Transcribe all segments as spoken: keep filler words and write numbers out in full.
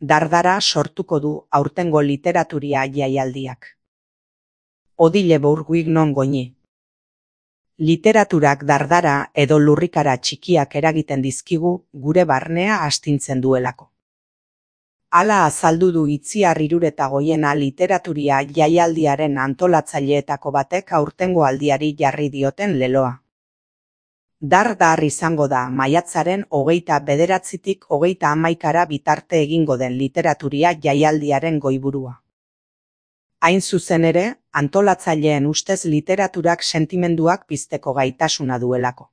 dardara sortuko du aurtengo literaturia jaialdiak. Odile Bourguignon goñi. Literaturak dardara edo lurrikara txikiak eragiten dizkigu gure barnea astintzen duelako. Hala azaldu du Itziar Iruretagoiena literaturia jaialdiaren antolatzaileetako batek aurtengo aldiari jarri dioten leloa. Dar-dar izango da maiatzaren hogeita bederatzitik hogeita hamaikara bitarte egingo den literaturia jaialdiaren goiburua. Hain zuzen ere, antolatzaileen ustez literaturak sentimenduak pizteko gaitasuna duelako.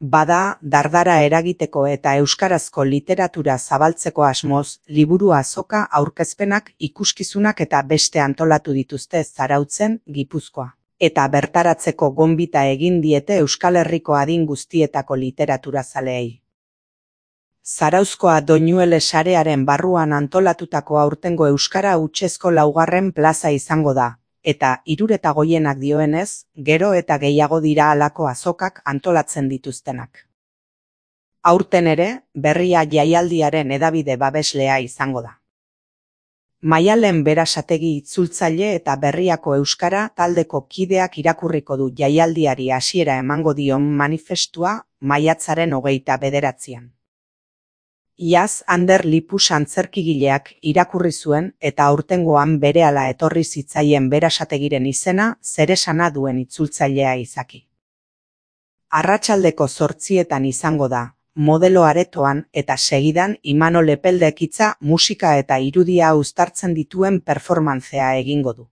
Bada, dardara eragiteko eta euskarazko literatura zabaltzeko asmoz, liburu azoka, aurkezpenak, ikuskizunak eta beste antolatu dituzte Zarautzen, Gipuzkoa. Eta bertaratzeko gonbita egin diete Euskal Herriko adin guztietako literaturazaleei. Zarauzkoa Doñuele sarearen barruan antolatutako aurtengo euskara hutsezko laugarren plaza izango da, eta Iruretagoienak dioenez, gero eta gehiago dira halako azokak antolatzen dituztenak. Aurten ere, Berria jaialdiaren hedabide babeslea izango da. Maialen Berasategi itzultzaile eta Berriako euskara taldeko kideak irakurriko du jaialdiari hasiera emango dion manifestua maiatzaren hogeita bederatzian. Iaz Ander Lipus antzerkigileak irakurri zuen eta aurtengoan berehala etorri zitzaien Berasategiren izena zeresana duen itzultzailea izaki. Arratsaldeko zortzietan izango da, modelo aretoan eta segidan Imanol Epeldek hitza, musika eta irudia uztartzen dituen performantzea egingo du.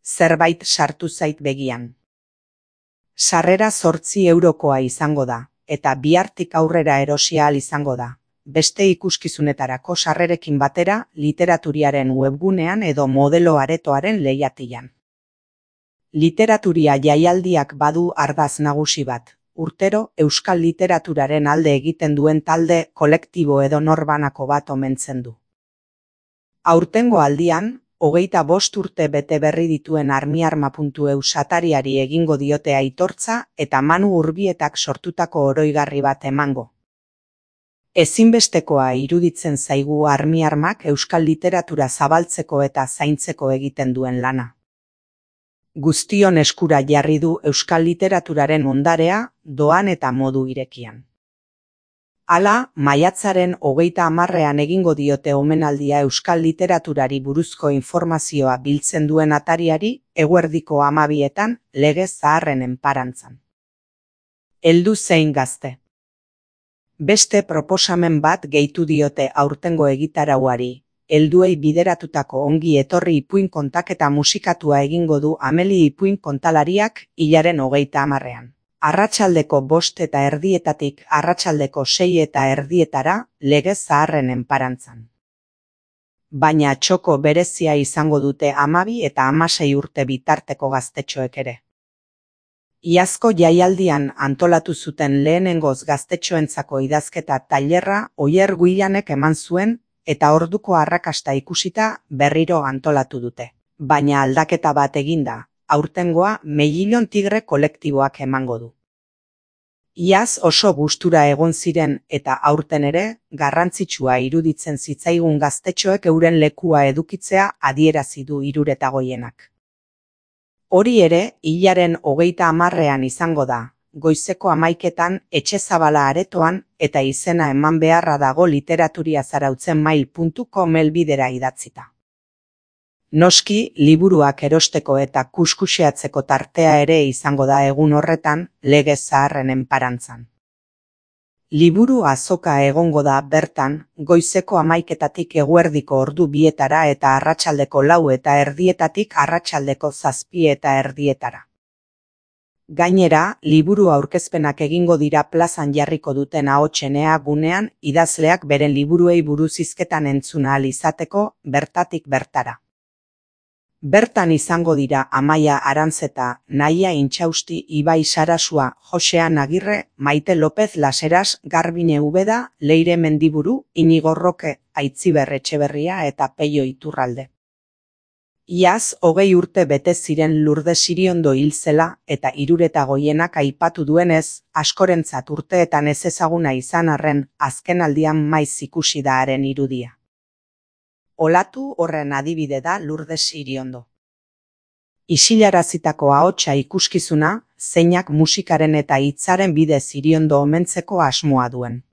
Zerbait sartu zait begian. Sarrera zortzi eurokoa izango da, eta bihartik aurrera erosi ahal izango da. Beste ikuskizunetarako sarrerekin batera literaturiaren webgunean edo modelo aretoaren lehiatilan. Literaturia jaialdiak badu ardaz nagusi bat, urtero euskal literaturaren alde egiten duen talde, kolektibo edo norbanako bat omentzen du. Aurtengo aldian, hogeita bost urte bete berri dituen armiarma puntu eu satariari egingo diote aitortza eta Manu Urbietak sortutako oroigarri bat emango. Ezinbestekoa iruditzen zaigu armiarmak euskal literatura zabaltzeko eta zaintzeko egiten duen lana. Guztion eskura jarri du euskal literaturaren ondarea, doan eta modu irekian. Hala, maiatzaren hogeita hamarrean egingo diote omenaldia euskal literaturari buruzko informazioa biltzen duen atariari, eguerdiko hamabietan, lege zaharren enparantzan. Heldu zein gazte. Beste proposamen bat gehitu diote aurtengo egitarauari, helduei bideratutako ongi etorri ipuin kontaketa musikatua egingo du Ameli ipuin kontalariak hilaren hogeita hamarrean. Arratsaldeko bost eta erdietatik arratsaldeko sei eta erdietara lege zaharren enparantzan. Baina txoko berezia izango dute hamabi eta hamasei urte bitarteko gaztetxoek ere. Iazko jaialdian antolatu zuten lehenengoz gaztetxoentzako idazketa tailerra Oier Guillanek eman zuen eta orduko arrakasta ikusita berriro antolatu dute. Baina aldaketa bat eginda, aurtengoa Meillon Tigre kolektiboak emango du. Iaz oso gustura egon ziren eta aurten ere garrantzitsua iruditzen zitzaigun gaztetxoek euren lekua edukitzea adierazi du Iruretagoienak. Hori ere, hilaren hogeita hamarrean izango da, goizeko hamaiketan Etxezabala aretoan eta izena eman beharra dago literaturia zarautzen mail puntu com helbidera idatzita. Noski, liburuak erosteko eta kuskuxeatzeko tartea ere izango da egun horretan, lege zaharren enparantzan. Liburu azoka egongo da bertan, goizeko hamaiketatik eguerdiko ordu bietara eta arratsaldeko lau eta erdietatik arratsaldeko zazpi eta erdietara. Gainera, liburu aurkezpenak egingo dira plazan jarriko duten ahotsenea gunean idazleak beren liburuei buruz hizketan entzun ahal izateko bertatik bertara. Bertan izango dira Amaia Arantzeta, Naia Intxausti, Ibai Sarasua, Josean Agirre, Maite López Laseras, Garbine Ubeda, Leire Mendiburu, Inigo Roque, Aitziber Etxeberria eta Peio Iturralde. Iaz hogei urte bete ziren Lourdes Iriondo hil zela eta hirureta goienak aipatu duenez, askorentzat urteetan ezezaguna izan arren, azkenaldian maiz ikusi da haren irudia. Olatu horren adibide da Lourdes Iriondo. Isilarazitako ahotsa ikuskizuna, zeinak musikaren eta hitzaren bidez Iriondo omentzeko asmoa duen.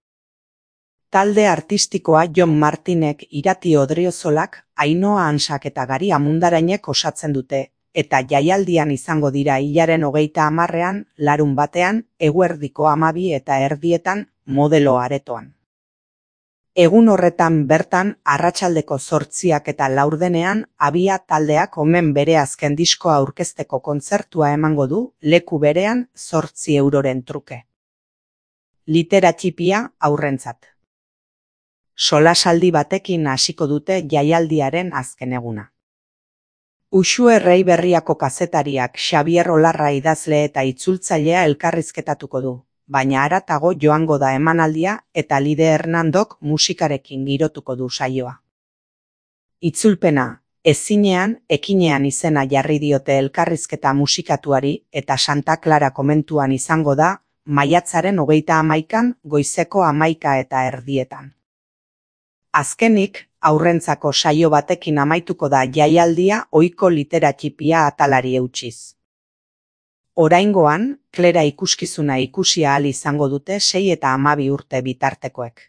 Talde artistikoa Jon Martinek, Irati Odriozolak, Ainhoa Ansak eta Gari Amundarainek osatzen dute, eta jaialdian izango dira hilaren hogeita hamarrean, larun batean, eguerdiko hamabi eta erdietan, Modelo Aretoan. Egun horretan bertan, arratsaldeko zortziak eta laurdenean, Abia taldeak omen bere azken diskoa aurkezteko kontzertua emango du, leku berean, zortzi euroren truke. Litera txipia aurrentzat. Solasaldi batekin hasiko dute jaialdiaren azken eguna. Uxue Erreiberriako kazetariak Xabier Olarra idazle eta itzultzailea elkarrizketatuko du, baina haratago joango da emanaldia eta Lide Hernandok musikarekin girotuko du saioa. Itzulpena, ezinean, ekinean izena jarri diote elkarrizketa musikatuari eta Santa Clara komentuan izango da, maiatzaren hogeita hamaikan, goizeko hamaika eta erdietan. Azkenik, aurrentzako saio batekin amaituko da jaialdia ohiko litera txipia atalari eutsiz. Oraingoan, Klera ikuskizuna ikusi ahal izango dute sei eta hamabi urte bitartekoek.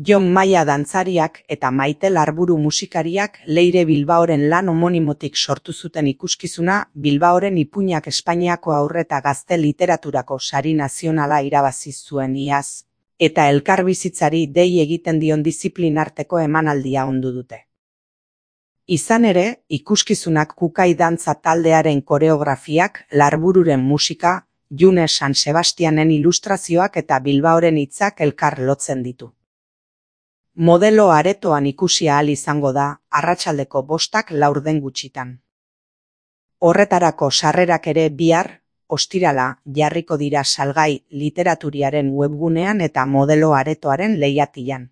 Jon Maia dantzariak eta Maite Larburu musikariak Leire Bilbaoren lan homonimotik sortu zuten ikuskizuna Bilbaoren ipuinak Espainiako haur eta gazte literaturako sari nazionala irabazi zuen iaz, eta elkarbizitzari dei egiten dion diziplinarteko emanaldia ondu dute. Izan ere, ikuskizunak Kukai dantza taldearen koreografiak, Larbururen musika, June San Sebastianen ilustrazioak eta Bilbaoren hitzak elkar lotzen ditu. Modelo Aretoan ikusi ahal izango da, arratsaldeko bostak laurden gutxitan. Horretarako sarrerak ere bihar, ostirala, jarriko dira salgai literaturiaren webgunean eta Modelo Aretoaren leihatilan.